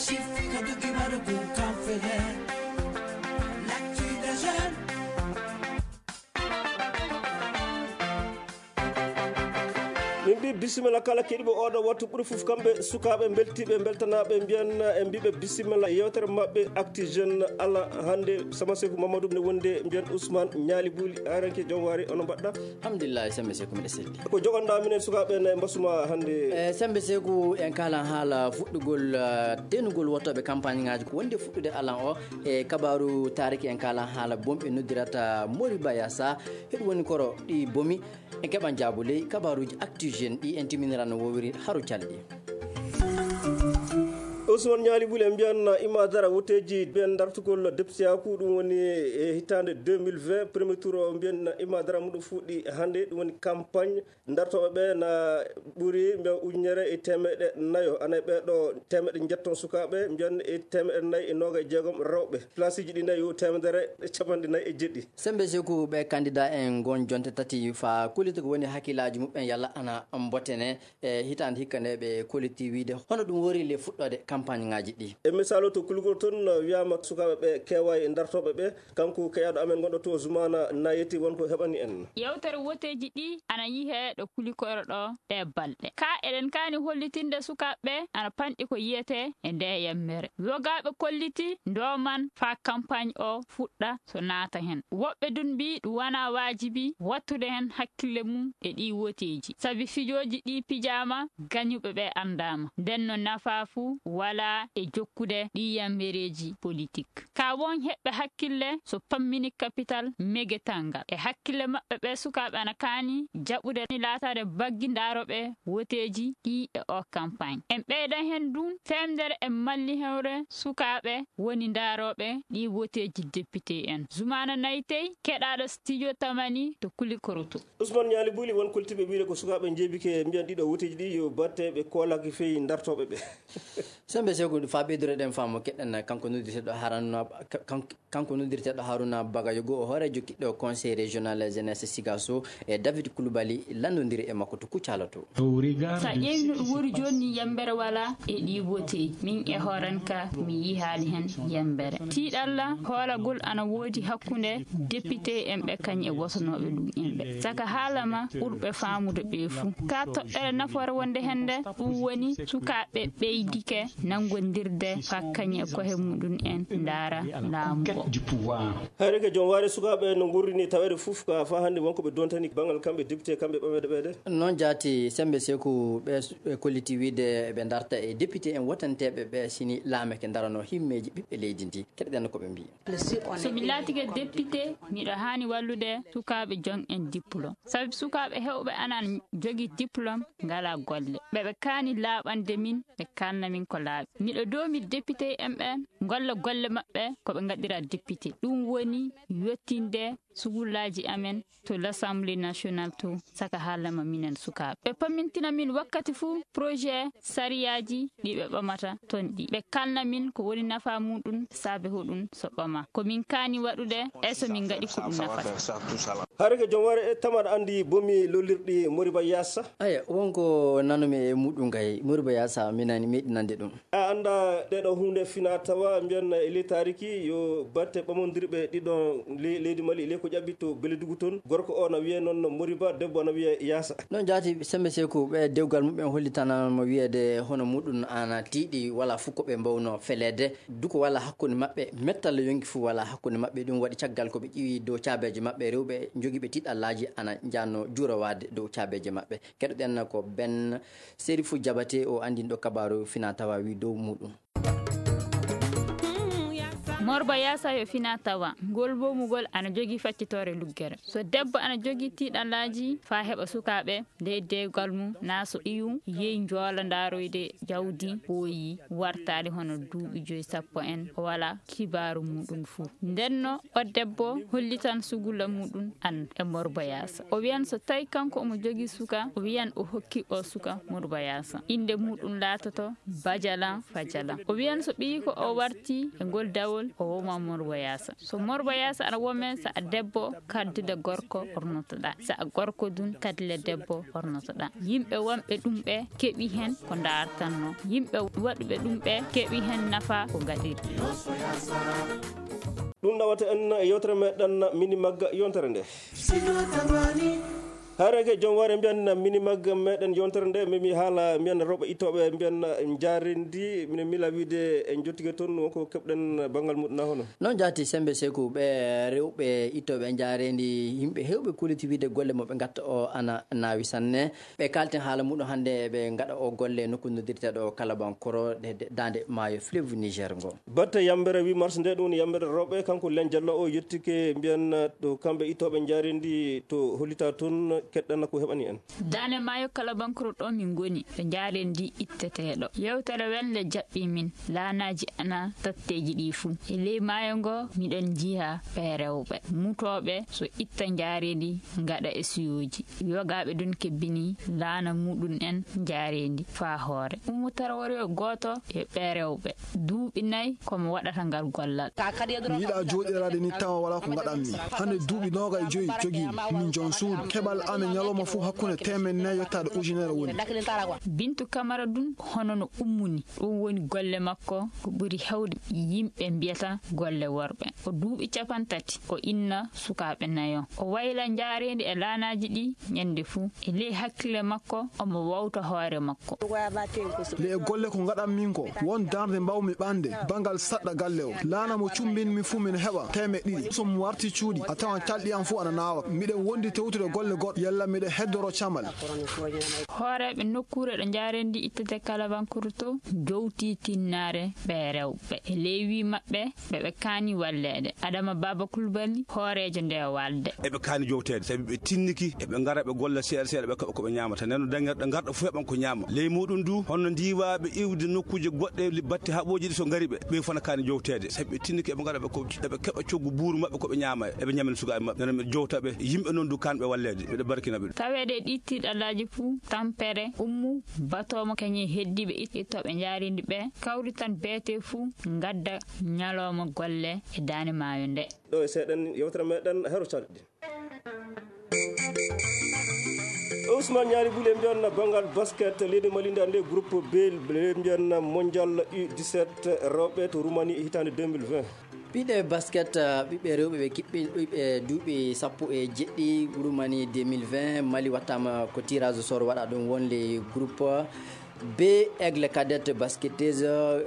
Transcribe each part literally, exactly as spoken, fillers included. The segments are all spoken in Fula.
Tifika duki maru ku kamfele. L'actu des jeunes. Min mbi bisimilla kala keɗiiɓe oɗo wattu, ɓuri fof kamɓe sukaaɓe mbeltiiɓe, mbeltanaaɓe, mbiyan e mbiɓe bisimilla yewtere maɓɓe Actu Jeune. Ala hannde Sama Seku Mamadou ne wondi, mbiyan Ousmane Ñaali Buuli, aranke joom waari, ono mbaɗɗa? Alhamdulillah, Sama Seku, mbiɗa selli. Ko jogonɗa minen sukaaɓe ne mbasuma hannde? E Sembe Seku, en kalan haala fuɗɗugol, eh, tenugol wottooɓe campagne ŋaaji ko wondi e fuɗɗude alan o. E kabaaru taariki, en kalan haala bomi ɓe noddirata Moriba Yasa. Heɗu woni koro ɗi bomi. En keɓan jaabu ley kabaaruuji Actu Jeune ɗi en timinira no wowiri haru calɗi. Ousmane Ñaali Buuli, en mbiyan Imadara woteeji ɓen dartugol depteyaaku, ɗum woni e hitaande deux mille vingt, premier tour o, mbiyan Imadara muɗum fuɗɗi hannde, ɗum woni campagne. Dartooɓe ɓe na ɓuri mbiyan ujunere e teemeɗe nayo. Ana e ɓee ɗo teemeɗe njetton sukaaɓe, mbiyan e teemeɗe nayi e nooga e jeegom rewɓe. Place ji ɗi nayi yo teemedere e capanɗe nayi e jeɗɗi. Sembe Seku, ɓe candidat en ngon jonte tati fa kullita ko woni hakkillaaji muɓɓen yalla ana mbotene e hitaande hikka nde ɓe kollitii wiide hono ɗum wori le fuɗɗoode campagne ŋaaji ɗi. E misaalu to Kulukoro toon, wiyaama sukaaɓe ɓe keewaay dartooɓe ɓe. Kanko keƴaaɗo amen gonɗo to Zumaana Nayeti won ko heɓani en. Yewtere woteeji ɗi ana yihee ɗo Kulikoro ɗo ɗe balɗe. Ka eɗen kaani hollitinde sukaaɓe ɓe ana panɗi ko yiyetee e nde yemmere. Wogaaɓe kolliti ndooman faa kampaañ o fuɗɗa so naata hen. Woɓɓe dun mbii ɗum wanaa waajibi wattude hen hakkille mum e ɗii woteeji. Sabi fijooji ɗi pijaama, gañuɓe ɓe anndaama. Nden no nafaa fu walaa e jokkude ɗii yammereeji politik. Ka won heɓɓe hakkille so pammini kapital megetal ngal. E hakkille maɓɓe ɓe sukaaɓe ana kaani jaɓude laataade baggi ndaarooɓe woteeji ɗi e o kampaañ. En ɓeydan hen dun feemdere en malli hewre sukaaɓe woni ndaarooɓe ɗi woteeji depite en. Zumaana Naytey, keɗaaɗo studio Tamani to Kulikoroto. Ousmane Ñaali Buuli, won koltiiɓe wiide ko sukaaɓe njeebike mbiyan ɗiɗo woteeji ɗi yo batte ɓe koolaki fey dartooɓe ɓe. Sembe Seku, faa ɓeydureɗen faamu keɗen kanko noddirteeɗo Haruna, kan-, kanko noddirteeɗo Haruna Bagayogo, o hooreejo kiɗɗo Conseil Régional Jeunesse Sigaso, e David Koulibaly lanndondiri e makko to Kucala to. Sa ƴeewi no ɗum woni jooni ni, yembere walaa e ɗi woteeji. Min e hooran ka mi yihaali hen yembere. Tiiɗalla hoolagol ana woodi hakkunde député en ɓe kañ e wotonooɓe ɗum en ɓe. Saka haalama ɓurɓe faamude ɓe fuu. Ka toɓɓere nafoore wonde hende, ɗum woni sukaaɓe ɓeydike nanngondirde fakkañe kohe muɗum en ndaara laamu o. Hayre ke joom waare sukaaɓe no ngurrini taweede fof ka faa hannde wonko ɓe dontani banngal kamɓe député kamɓe ɓameede ɓeede. Noon jaati Sembe Seku ɓe, ɓe kolliti wiide ɓe darta e député en wotanteeɓe ɓe sini laameke darano himmeeji ɓiɓɓe leydi ndi. Keɗoɗen ko ɓe mbii. So mi laatike député, miɗo haani wallude sukaaɓe joom en diplôme. Sabi sukaaɓe heewɓe anan jogii diplôme, ngalaa golle. Ɓe ɓe kaani laaɓande min, ɓe kaalna min ko laaɓi. Miɗo doomi député en ɓen, ngolla golle maɓɓe ko ɓe ngaɗira député. Ɗum woni yottinde sugullaaji amen to l'Assemblée nationale to, saka haalama minen sukaaɓe. Ɓe pammintina min wakkati fuu projet sariyaaji ɗi ɓe ɓamata ton ɗi. Ɓe kalna min ko woni nafaa muɗum, saabe hoɗum so ɓama. Ko min kaani waɗude, e so min ngaɗi ko ɗum nafata. Hare ko joom ware e tamar anndi bomi lollirɗi Moriba Yasa. Aya, wonko nanumi e muɗum kay, Moriba Yasa, mi nani, meɗi nande ɗum. A annda ɗeɗo huunde fina tawa, mbiyan e ley taariki yo batte ɓamondirɓe ɗiɗon le-, leydi Mali, ley ko ƴaɓɓi to Beledugu toon. Gorko o na wiye noon Moriba, debbo na wiye Yasa. Noon jaati Sembe Seku, ɓe dewgal muɓɓen hollitanama wiyeede hono muɗum ana tiiɗi, wala fof ko ɓe mbawno feleede. Duko wala hakkunde maɓɓe, mettalla yonki fof wala hakkunde maɓɓe. Ɗum waɗi caggal ko ɓe ƴiwi dow caabeeje maɓɓe, rewɓe jogiiɓe tiiɗallaaji ana njanno juurowaade dow caabeeje maɓɓe. Keɗoɗen ko Ben Serifou Diabaté, o anndinɗo kabaaru fina tawa wi dow muɗum. Morba Yasa yo fina tawa. Ngol bomugol ana jogii faccitoore luggere. So debbo ana jogii tiiɗallaaji faa heɓa sukaaɓe ley dewgal mum, naa so ɓiyum yehi njoola ndaaroyde jawdi ɓooyi wartaade hono duuɓi joyi sappo en, o walaa kibaaru muɗum fuu. Ndenno o debbo hollitan sugulla muɗum an e Morba Yasa. O wiyan so tawi kanko omo jogii suka, o wiyan o hokki o suka Morba Yasa. Innde muɗum laatoto Bajalan Fajalan. O wiyan so ɓiyiiko o warti e ngol dawol, O woma Morbo Yaasa. So Morbo Yaasa aɗa wome, so a debbo, kaddude gorko ɓornotoɗaa. So a gorko dun, kadle debbo ɓornotoɗaa. Yimɓe wonɓe ɗum ɓe keɓi hen ko ndaartanno. Yimɓe waɗuɓe ɗum ɓe keɓi hen nafa ko ngaɗiri. Ɗum nawata en e yewtere meɗen Mini Magga yontere nde. Harege joom ware mbiyan Mini Magga meɗen yontere nde, memi haala mbiyan rewɓe ittoɓe mbiyan njarendi, mine mila wiide en jottike toon wonko keɓɗen banngal muɗum na hono. Noon jaati Sembe Seku, ɓe rewɓe ittoɓe njarendi, yimɓe hewɓe kuliti wiide golle mo ɓe ngatta o ana naawi sanne. Ɓe kalten haala muɗum hannde, ɓe ngaɗa o golle nokku noddirteɗo Kalabankoro, de, de, daande maayo fleuve Niger ngo. Batte yambere huit mars nde, ɗum woni yambere rewɓe, kanko Len Jallo o yettike mbiyan to kamɓe ittoɓe njarendi to hollita toon keɗɗana ko heɓani en. Daande maayo Kalabankoro ɗo min ngoni, to njarendi itteteɗo. Yewtere welle jaɓɓi min, laanaaji ana tatteeji ɗi fuu. E ley maayo ngo miɗen njiya ɓe rewɓe mutooɓe so itta njarendi ngaɗa e suyooji. Yogaaɓe ɗon kebbini laana muɗum en njarendi faa hoore. Ummu Tarawore o gooto e ɓe rewɓe. Duuɓi nayi ko mo waɗata ngal gollal. Mi yiɗa jooɗiraade ni tawa wala ko ngaɗanmi. Hannde duuɓi nooga e joyi jogiimi. Min joom suudu. Keɓal am e ñalawma fof hakkunde teemeɗɗe nayi yottaade ujunere woni. Bintu Kamara ɗum hono no ummuni. Ɗum woni golle makko ko ɓuri heewde yimɓe mbiyata golle worɓe. O duuɓi cappanɗe tati, o inna sukaaɓe nayo. O wayla njaareendi e laanaaji ɗi ñande fuu. E ley hakkille makko, omo wowta hoore makko. Le e golle ko ngaɗan min ko, won darnde mbawmi ɓande, bangal saɗɗa galle o. Laana mo cumbin mi fuu min heɓa teemeɗɗe ɗiɗi. So mi warti cuuɗi, a tawan calɗi am fuu ana naawa. Miɗen wondi tewtude golle goɗɗe, yalla miɗen heddoro camal. Hooreeɓe nokkuure ɗo njaareendi ittete Kalabankoro to, jowti tinnaare ɓe rewɓe. E ley wii maɓɓe, ɓe ɓe kaani walleede. Adama Baba Kulbali, hooreejo nde walde. Eɓe kaani jowteede, sabi ɓe tinniki, eɓe ngara ɓe golla seeɗa seeɗa, ɓe keɓa ko ɓe ñaamata. Nden no dañirɗe ngarɗa fof heɓan ko ñaama. Ley muɗum du, hono ndiwaaɓe iwde nokkuuje goɗɗe, li-, batte haɓooji ɗi so ngari ɓe, ɓe fof na kaani jowteede. Sabi ɓe tinniki eɓe ngara ɓe ko, eɓe keɓa coggu buuru maɓɓe ko ɓe ñaama, eɓe ñamina sukaaɓe maɓɓe. Nden no ɓe jowta ɓe, yimɓe noon du kaanɓe walleede. Miɗo barkina ɓe. Taweede e ɗi tiiɗalaaji fuu, tampere, ummu, batoomo kañum e heddiiɓe it-, ittooɓe njaareendi ɓe, kawritan beete fuu, ngadda ñalawma golle e daande maayo nde. Ɗo e seeɗen yewtere meɗen Hero Calɗi. Ousmane Ñaari Buli, en mbiyan banngal basket leydi Mali nde annde groupe B, le mbiyan mondial U dix-sept rewɓe to Roumanie hitaande deux mille vingt. Ɓiɓɓe basket, uh, ɓiɓɓe rewɓe ɓe kiɓɓi ɓiɓɓe duuɓi sappo e jeɗɗi Roumanie deux mille vingt, Mali wattama ko tirage au sort waɗa ɗum wonde groupe B, Aigle Cadet Basketeuse,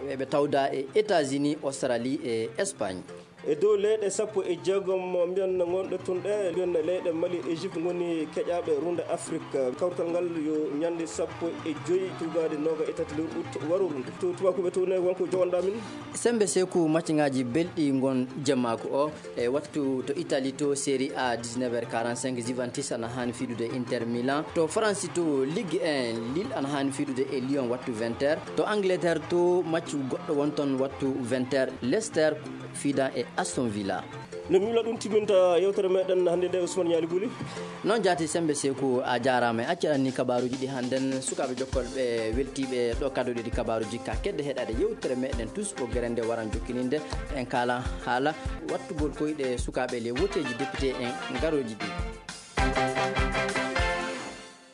eɓe tawda e États-Unis, Australie e Espagne. E dow leyɗe sappo e jeegom mbiyan ngonɗe tun ɗe, mbiyan leyɗe Mali, Égypte ngoni keƴaaɓe runde Afrique. Kawrital ngal yo ñande sappo e joy tugaade nooga e tati lewru août waro runde. To tubakuɓe to ne wonko jowanɗa min. Sembe Seku, macciŋaaji belɗi ngon jemmaako o. E wattu to Italie to Serie A, dix-neuf heures quarante-cinq, Juventus ana haani fiidude Inter Milan. To France to Ligue un, Lille ana haani fiidude e Lyon wattu vingt heures. To Angleterre to match goɗɗo won ton wattu vingt heures. Leicester fiida e Aston Villa. No mi wila ɗum timminta yewtere meɗen hannde nde, Ousmane Ñaali Buli. Noon jaati Sembe Seku, a jaaraama. E accaɗan ni kabaaruuji ɗi hannden, sukaaɓe jokkolɓe weltiiɓe ɗo kaddoɗi ɗi kabaaruuji ka kedde heɗaade yewtere meɗen tous ko gerende waran jokkininde. En kaala haala wattugol koyɗe sukaaɓe le woteeji député en ngarooji ɗi.